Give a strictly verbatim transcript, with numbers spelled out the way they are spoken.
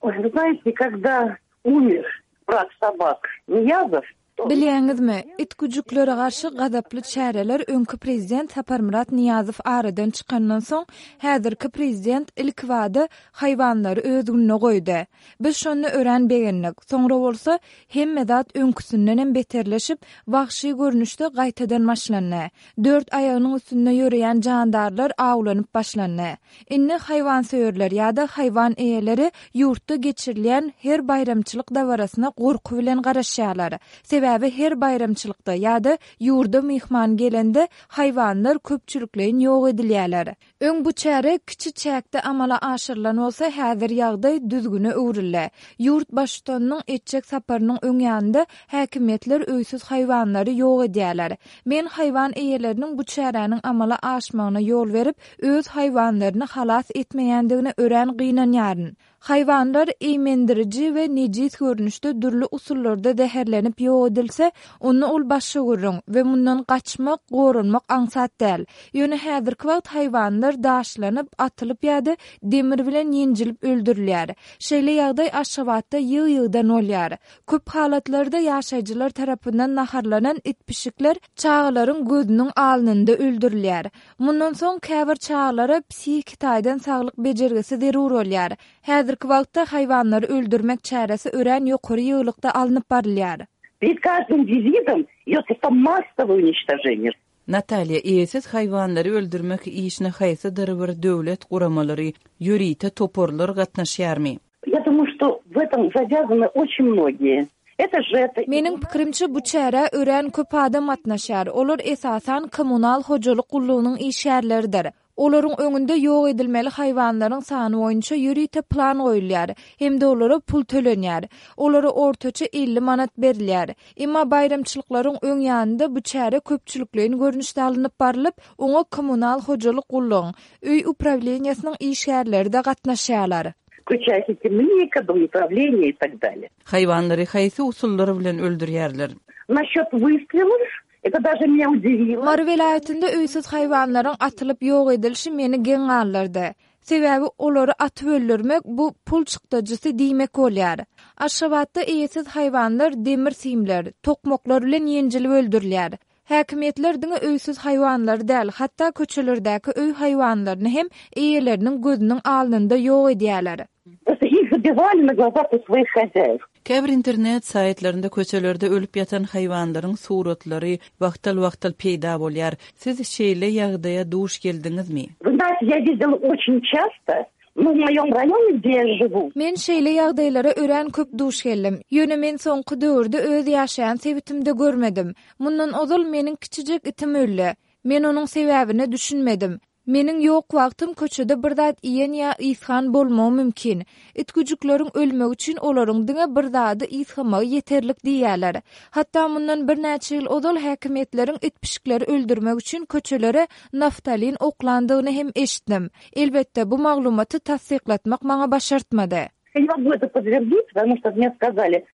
Ой, вы знаете, когда умер враг собак Ниязов, Bilýäňizmi, it-güjüklere garşy gazaply çäreler öňki prezident Saparmyrat Nyýazow aradan çykandan soň, häzirki prezident ilkibada haýwanlary öz gününe goýdy. Biz şonda örän begendik. Soňra bolsa hemme zat öňküsindenem beterleşip, wagşy görnüşde gaýtadan başlandy. Dört aýagynyň üstünde ýöreýän jandarlar awlanyp başlandy. Indi haýwansöýerler ýa-da haýwan eýeleri ýurtda geçirilýän her baýramçylyk dabarasyna gorky bilen garaşýarlar. Sebäbi her baýramçylykda ýa-da ýurda myhman gelende haýwanlar köpçülikleýin ýok edilýärler. Öň bu çäre kiçi çäkde amala aşyrylan bolsa, häzir ýagdaý düzgüne öwrüldi. Ýurt baştutanynyň etjek saparynyň öň ýanynda häkimiýetler öýsüz haýwanlary ýok edýärler. Men haýwan eýeleriniň bu çäräniň amala aşmagyna ýol berip, öz haýwanlaryny halas etmeýändigine örän gynanýaryn. Haýwanlar eýmendiriji we nejis görnüşde dürli usullarda zäherlenip ýok edilse, onda ol başga gürrüň we mundan gaçmak, goranmak aňsat däl. Ýöne häzirki wagt haýwanlar daşlanyp, atylyp ýa-da demir bilen ýenjilip öldürilýär. Şeýle ýagdaý Aşgabatda ýygy-ýygydan bolýar. Köp halatlarda ýaşaýjylar tarapyndan naharlanan it-pişikler çagalaryň gözüniň alnynda öldürilýär. Mundan soň käbir çagalara psihiki taýdan saglyk bejergisi zerur bolýar. Häzirki wagtda haýwanlary öldürmek çäresi örän ýokary ýygylykda alnyp barylýar. Перед каждым визитом идет просто массовое уничтожение. Natalýa, eýesiz haýwanlary öldürmek işine haýsydyr bir döwlet guramalary, ýörite toparlar gatnaşýarmy? Я думаю, что в этом завязаны очень многие. Это же это. Meniň pikirimçe bu çärä örän köp adam gatnaşýar. Olar esasan kommunal hojalyk gullugynyň işgärleridir. Olaryň öňünde ýok edilmeli haýwanlaryň sany boýunça ýörite plan goýulýar hem-de olara pul tölenýär. Olara ortaça elli manat berilýär. Emma baýramçylyklaryň öň ýanynda bu çäre köpçülikleýin görnüşde alnyp barylyp, oňa kommunal hojalyk gullugyň, öý uprawleniýasynyň işgärleri-de gatnaşýarlar. Включая химника, домоуправление и так далее. Haýwanlary haýsy usullar bilen öldürýärler? Насчет выстрелов, это даже меня удивило. Mary welaýatynda öýsüz haýwanlaryň atylyp ýok edilişi meni geň galdyrdy. Sebäbi olary atyp öldürmek bu pul çykdajysy diýmek bolýar. Aşgabatda eýesiz haýwanlar demir simler, tokmaklar bilen ýenjilip öldürilýär. Häkimiýetler diňe öýsüz haýwanlary däl, hatda köçelerdäki öý haýwanlaryny hem eýeleriniň gözüniň alnynda ýok edýärler. Просто их забивали на глазах у своих хозяев. Käbir internet saýtlarynda köçelerde ölüp ýatan haýwanlaryň suratlary wagtal-wagtal peýda bolýar. Siz şeýle ýagdaýa duş geldiňizmi? Вы знаете, я видела очень часто, ну, в моем районе, где я живу. Men şeýle ýagdaýlara örän köp duş geldim. Ýöne men soňky döwürde öz ýaşaýan sebitimde görmedim. Mundan ozal meniň kiçijek itim öldi. Men onuň sebäbine düşünmedim. Meniň ýok wagtym köçede bir zat iýen ýa ysgan bolmagy mümkin. It güjükleriň ölmegi üçin olaryň diňe bir zady ysgamagy ýeterlik diýýärler. Hatda mundan birnäçe ýyl ozal häkimiýetleriň it pişikleri öldürmek üçin köçelere naftalin oklandygyny hem eşitdim. Elbetde bu maglumaty tassyklatmak maňa başartmady. Я не могу это подтвердить, потому что мне сказали,